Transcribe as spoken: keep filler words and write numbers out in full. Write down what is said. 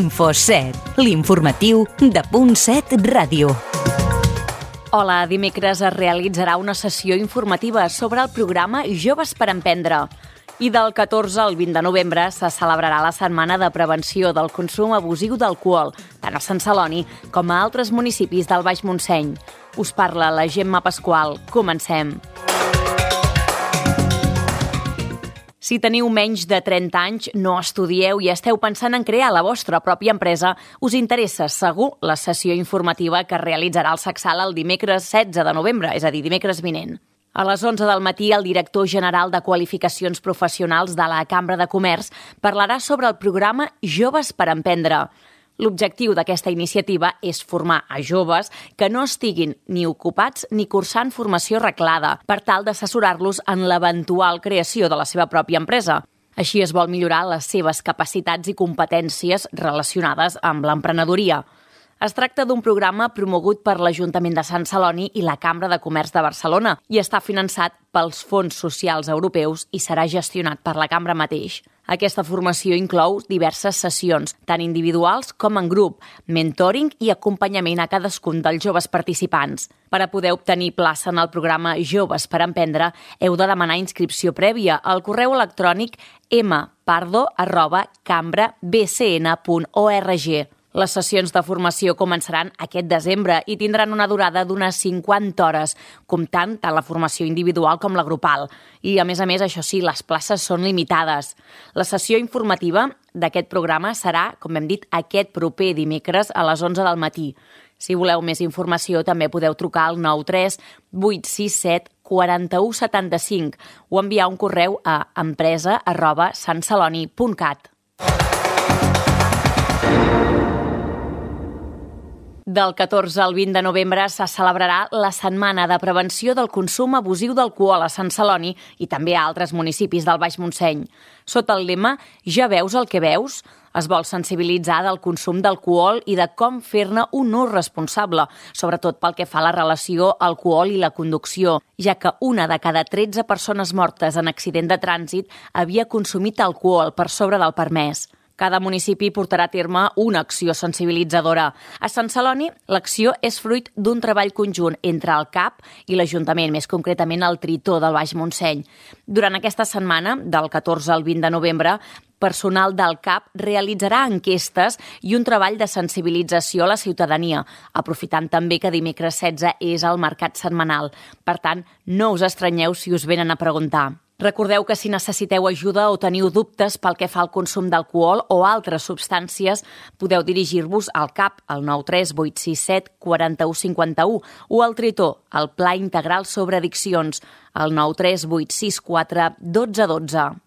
Info set, l'informatiu de Punt set Ràdio. Hola, dimecres es realitzarà una sessió informativa sobre el programa Joves per Emprendre. I del catorze al vint de novembre se celebrarà la Setmana de Prevenció del Consum Abusiu d'Alcohol, tant a Sant Celoni com a altres municipis del Baix Montseny. Us parla la Gemma Pasqual. Comencem. Si teniu menys de trenta anys, no estudieu i esteu pensant en crear la vostra pròpia empresa, us interessa segur la sessió informativa que realitzarà el Sacsal el dimecres setze de novembre, és a dir, dimecres vinent. A les onze del matí, el director general de Qualificacions Professionals de la Cambra de Comerç parlarà sobre el programa Joves per Emprendre. L'objectiu d'aquesta iniciativa és formar a joves que no estiguin ni ocupats ni cursant formació reglada, per tal d'assessorar-los en l'eventual creació de la seva pròpia empresa. Així es vol millorar les seves capacitats i competències relacionades amb l'emprenedoria. Es tracta d'un programa promogut per l'Ajuntament de Sant Celoni i la Cambra de Comerç de Barcelona i està finançat pels fons socials europeus i serà gestionat per la Cambra mateix. Aquesta formació inclou diverses sessions, tant individuals com en grup, mentoring i acompanyament a cadascun dels joves participants. Per a poder obtenir plaça en el programa Joves per Emprendre, heu de demanar inscripció prèvia al correu electrònic m pardo arroba cambra b c n punt org. Les sessions de formació començaran aquest desembre i tindran una durada d'unes cinquanta hores, comptant tant la formació individual com la grupal. I, a més a més, això sí, les places són limitades. La sessió informativa d'aquest programa serà, com hem dit, aquest proper dimecres a les onze del matí. Si voleu més informació, també podeu trucar al nou tres vuit sis set quatre u set cinc o enviar un correu a empresa arroba santceloni punt cat. Del catorze al vint de novembre se celebrarà la Setmana de Prevenció del Consum Abusiu d'Alcohol a Sant Celoni i també a altres municipis del Baix Montseny. Sota el lema «Ja veus el que veus», es vol sensibilitzar del consum d'alcohol i de com fer-ne un ús responsable, sobretot pel que fa a la relació alcohol i la conducció, ja que una de cada tretze persones mortes en accident de trànsit havia consumit alcohol per sobre del permès. Cada municipi portarà a terme una acció sensibilitzadora. A Sant Celoni, l'acció és fruit d'un treball conjunt entre el C A P i l'Ajuntament, més concretament el Tritó del Baix Montseny. Durant aquesta setmana, del catorze al vint de novembre, personal del C A P realitzarà enquestes i un treball de sensibilització a la ciutadania, aprofitant també que dimecres setze és el mercat setmanal. Per tant, no us estranyeu si us venen a preguntar. Recordeu que si necessiteu ajuda o teniu dubtes pel que fa al consum d'alcohol o altres substàncies, podeu dirigir-vos al C A P al nou tres vuit sis set quatre u cinc u o al Tritó, al Pla Integral sobre Addiccions, al nou tres vuit sis quatre un dos un dos.